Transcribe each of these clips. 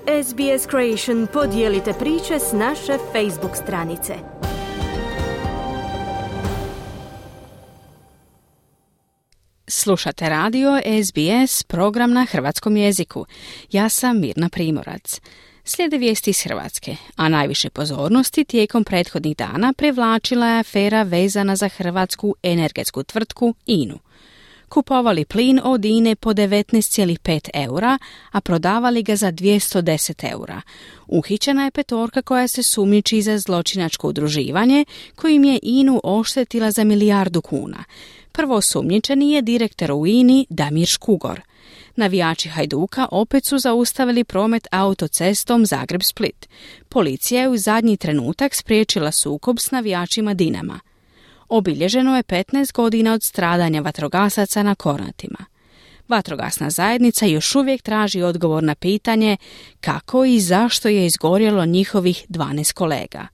SBS Creation podijelite priče s naše Facebook stranice. Slušate radio SBS, program na hrvatskom jeziku. Ja sam Mirna Primorac. Slijede vijesti iz Hrvatske, a najviše pozornosti tijekom prethodnih dana privlačila je afera vezana za hrvatsku energetsku tvrtku INA-u. Kupovali plin od INA-e po 19,5 eura, a prodavali ga za 210 eura. Uhićena je petorka koja se sumnjiči za zločinačko udruživanje, kojim je INA-u oštetila za 1 milijardu kuna. Prvoosumnjičeni je direktor u INA-i Damir Škugor. Navijači Hajduka opet su zaustavili promet autocestom Zagreb-Split. Policija je u zadnji trenutak spriječila sukob s navijačima Dinama. Obilježeno je 15 godina od stradanja vatrogasaca na Kornatima. Vatrogasna zajednica još uvijek traži odgovor na pitanje kako i zašto je izgorjelo njihovih 12 kolega.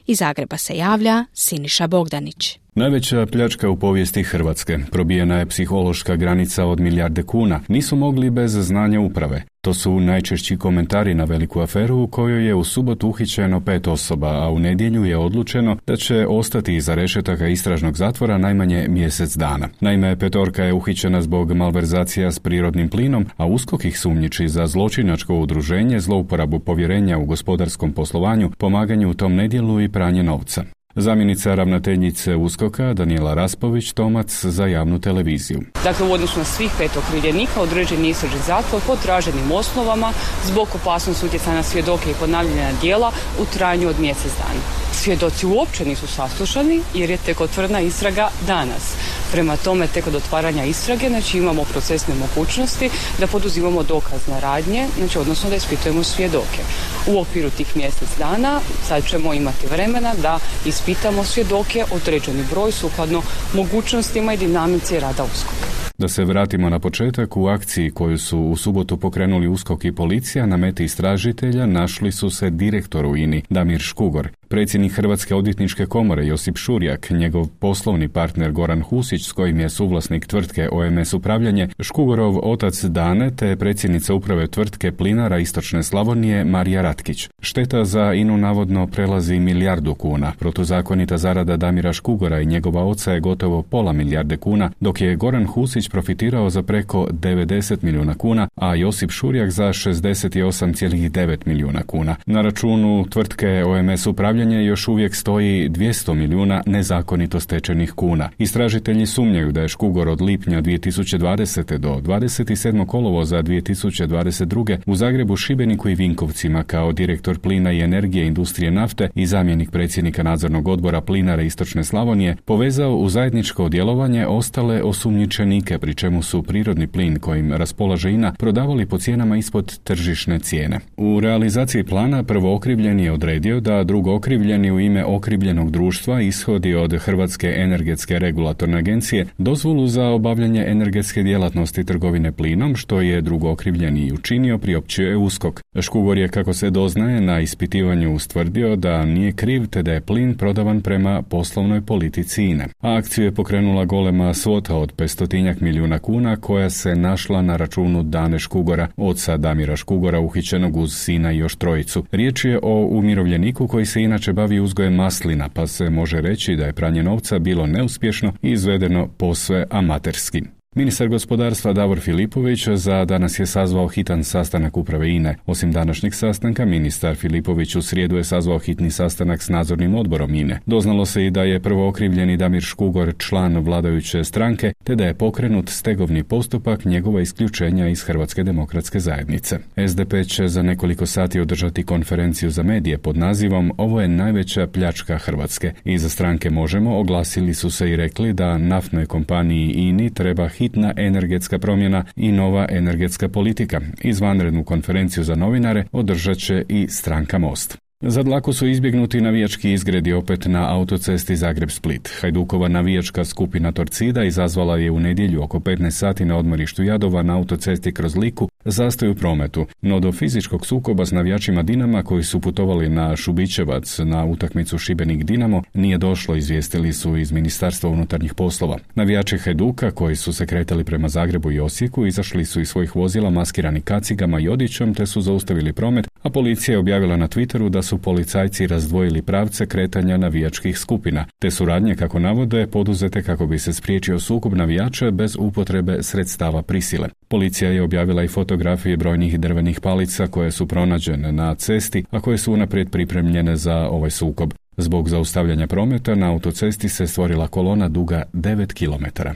Iz Zagreba se javlja Siniša Bogdanić. Najveća pljačka u povijesti Hrvatske. Probijena je psihološka granica od 1 milijarde kuna. Nisu mogli bez znanja uprave. To su najčešći komentari na veliku aferu u kojoj je u subotu uhićeno 5 osoba, a u nedjelju je odlučeno da će ostati iza rešetaka istražnog zatvora najmanje mjesec dana. Naime, petorka je uhićena zbog malverzacija s prirodnim plinom, a USKOK ih sumnjiči za zločinačko udruženje, zlouporabu povjerenja u gospodarskom poslovanju, pomaganju u tom nedjelu i pranje novca. Zamjenica ravnateljice USKOK-a Danijela Raspović-Tomac za javnu televiziju. Dakle, u odnosu na svih 5 okrivljenika određen je istražni zatvor po traženim osnovama zbog opasnosti utjecaja na svjedoke i ponavljanja djela u trajanju od mjesec dana. Svjedoci uopće nisu saslušani jer je tek otvorena istraga danas. Prema tome, tek od otvaranja istrage, znači imamo procesne mogućnosti da poduzimamo dokazne radnje, znači odnosno da ispitujemo svjedoke. U okviru tih mjesec dana sad ćemo imati vremena da ispitamo svjedoke, određeni broj sukladno mogućnostima i dinamici rada USKOK-a. Da se vratimo na početak, u akciji koju su u subotu pokrenuli USKOK i policija, na meti istražitelja našli su se direktoru INA-i Damir Škugor, predsjednik Hrvatske odvjetničke komore Josip Šurjak, njegov poslovni partner Goran Husić s kojim je suvlasnik tvrtke OMS Upravljanje, Škugorov otac Dane te predsjednica uprave tvrtke Plinara Istočne Slavonije Marija Ratkić. Šteta za INA-u navodno prelazi 1 milijardu kuna. Protuzakonita zarada Damira Škugora i njegova oca je gotovo pola milijarde kuna, dok je Goran Husić profitirao za preko 90 milijuna kuna, a Josip Šurjak za 68,9 milijuna kuna. Na računu tvrtke OMS Upravljanje još uvijek stoji 200 milijuna nezakonito stečenih kuna. Istražitelji sumnjaju da je Škugor od lipnja 2020. do 27. kolovoza 2022. u Zagrebu, Šibeniku i Vinkovcima kao direktor plina i energije industrije nafte i zamjenik predsjednika nadzornog odbora Plinara Istočne Slavonije povezao u zajedničko djelovanje ostale osumnjičenike, pri čemu su prirodni plin kojim raspolaže INA prodavali po cijenama ispod tržišne cijene. U realizaciji plana prvookrivljeni je odredio da drugookrivljeni u ime okrivljenog društva ishodi od Hrvatske energetske regulatorne agencije dozvolu za obavljanje energetske djelatnosti trgovine plinom, što je drugookrivljeni i učinio, priopćuje USKOK. Škugor je, kako se doznaje, na ispitivanju ustvrdio da nije kriv te da je plin prodavan prema poslovnoj politici INA. A akciju je pokrenula golema svota od 500 milijuna kuna koja se našla na računu Dane Škugora, oca Damira Škugora, uhićenog uz sina i još trojicu. Riječ je o umirovljeniku koji se inače bavi uzgojem maslina, pa se može reći da je pranje novca bilo neuspješno i izvedeno posve amaterski. Ministar gospodarstva Davor Filipović za danas je sazvao hitan sastanak uprave INA-e. Osim današnjeg sastanka, ministar Filipović u srijedu je sazvao hitni sastanak s nadzornim odborom INA-e. Doznalo se i da je prvookrivljeni Damir Škugor član vladajuće stranke, te da je pokrenut stegovni postupak njegova isključenja iz Hrvatske demokratske zajednice. SDP će za nekoliko sati održati konferenciju za medije pod nazivom "Ovo je najveća pljačka Hrvatske". Iza stranke Možemo oglasili su se i rekli da naftnoj kompaniji INA-i treba hitna energetska promjena i nova energetska politika. Izvanrednu konferenciju za novinare održat će i stranka Most. Za dlaku su izbjegnuti navijački izgredi opet na autocesti Zagreb-Split. Hajdukova navijačka skupina Torcida izazvala je u nedjelju oko 15 sati na odmorištu Jadova na autocesti kroz Liku zastoj u prometu, no do fizičkog sukoba s navijačima Dinama koji su putovali na Šubićevac na utakmicu Šibenik-Dinamo nije došlo, izvijestili su iz Ministarstva unutarnjih poslova. Navijači Hajduka koji su se kretali prema Zagrebu i Osijeku izašli su iz svojih vozila maskirani kacigama i odjećom te su zaustavili promet, a policija je objavila na Twitteru da su policajci razdvojili pravce kretanja navijačkih skupina, te su radnje, kako navode, poduzete kako bi se spriječio sukob navijača bez upotrebe sredstava prisile. Policija je objavila i fotografije brojnih drvenih palica koje su pronađene na cesti, a koje su unaprijed pripremljene za ovaj sukob. Zbog zaustavljanja prometa na autocesti se stvorila kolona duga 9 km.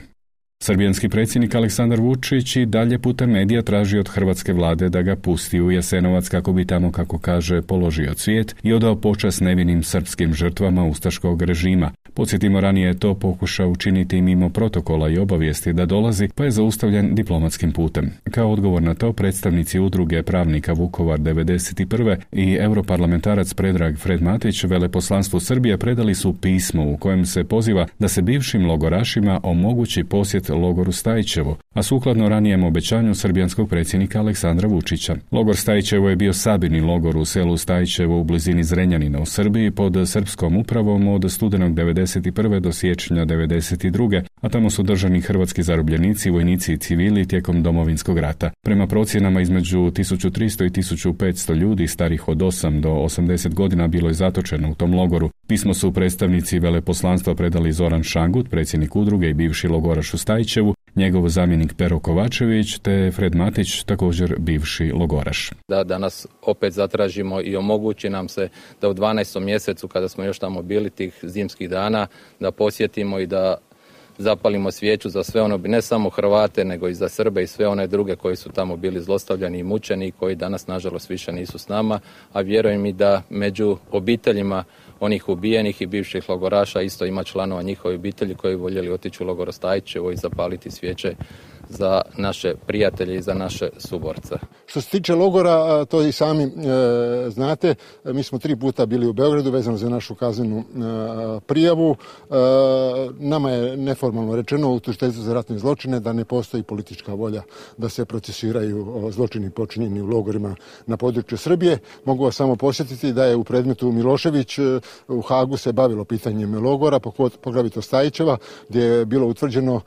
Srbijanski predsjednik Aleksandar Vučić i dalje putem medija traži od hrvatske vlade da ga pusti u Jasenovac kako bi tamo, kako kaže, položio cvijet i odao počast nevinim srpskim žrtvama ustaškog režima. Podsjetimo, ranije je to pokušao učiniti mimo protokola i obavijesti da dolazi, pa je zaustavljen diplomatskim putem. Kao odgovor na to, predstavnici udruge pravnika Vukovar 91. i europarlamentarac Predrag Fred Matić veleposlanstvu Srbije predali su pismo u kojem se poziva da se bivšim logorašima omogući posjet logoru Stajićevo, a sukladno ranijem obećanju srbijanskog predsjednika Aleksandra Vučića. Logor Stajićevo je bio sabirni logor u selu Stajićevo u blizini Zrenjanina u Srbiji pod srpskom upravom od studenog 1991. do siječnja 1992. a tamo su držani hrvatski zarobljenici, vojnici i civili tijekom Domovinskog rata. Prema procjenama između 1300 i 1500 ljudi starih od 8 do 80 godina bilo je zatočeno u tom logoru. Pismo su predstavnici veleposlanstva predali Zoran Šangut, predsjednik udruge i bivši logoraš u Stajićevu, njegov zamjenik Pero Kovačević te Fred Matić, također bivši logoraš. Da danas opet zatražimo i omogući nam se da u 12. mjesecu, kada smo još tamo bili tih zimskih dana, da posjetimo i da zapalimo svijeću za sve ono, ne samo Hrvate, nego i za Srbe i sve one druge koji su tamo bili zlostavljani i mučeni i koji danas, nažalost, više nisu s nama, a vjerujem i da među obiteljima onih ubijenih i bivših logoraša isto ima članova njihove obitelji koji voljeli otići u logor Stajićevo i zapaliti svijeće za naše prijatelje i za naše suborce. Što se tiče logora, to i sami znate, mi smo 3 puta bili u Beogradu vezano za našu kaznenu prijavu. Nama je neformalno rečeno u tužiteljstvu za ratne zločine da ne postoji politička volja da se procesuiraju zločini počinjeni u logorima na području Srbije. Mogu vas samo posjetiti da je u predmetu Milošević u Hagu se bavilo pitanjem logora, poglavito Stajićeva, gdje je bilo utvrđeno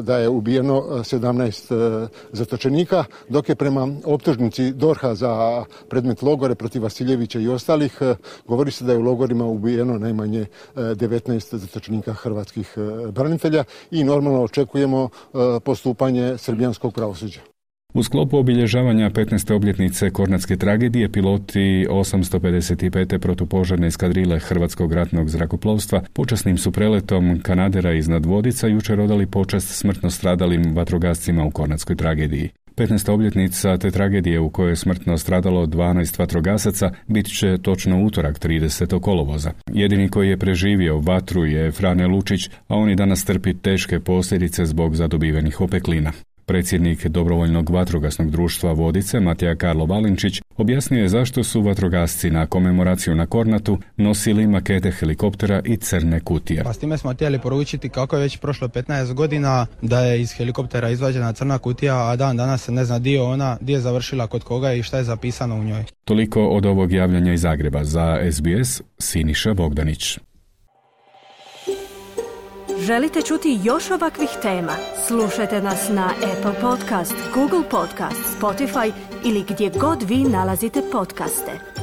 da je ubijeno 17 zatočenika, dok je prema optužnici DORH-a za predmet logore protiv Vasiljevića i ostalih govori se da je u logorima ubijeno najmanje 19 zatočenika hrvatskih branitelja i normalno očekujemo postupanje srbijanskog pravosuđa. U sklopu obilježavanja 15. obljetnice Kornatske tragedije piloti 855. protupožarne eskadrile Hrvatskog ratnog zrakoplovstva počasnim su preletom kanadera iznad Vodica jučer odali počast smrtno stradalim vatrogascima u Kornatskoj tragediji. 15. obljetnica te tragedije u kojoj je smrtno stradalo 12 vatrogasaca bit će točno utorak 30. kolovoza. Jedini koji je preživio vatru je Frane Lučić, a on i danas trpi teške posljedice zbog zadobivenih opeklina. Predsjednik Dobrovoljnog vatrogasnog društva Vodice, Matija Karlo Valinčić, objasnio je zašto su vatrogasci na komemoraciju na Kornatu nosili makete helikoptera i crne kutije. Pa s time smo htjeli poručiti kako je već prošlo 15 godina da je iz helikoptera izvađena crna kutija, a dan danas se ne zna di je završila kod koga i šta je zapisano u njoj. Toliko od ovog javljanja iz Zagreba. Za SBS, Siniša Bogdanić. Želite čuti još ovakvih tema? Slušajte nas na Apple Podcast, Google Podcast, Spotify ili gdje god vi nalazite podcaste.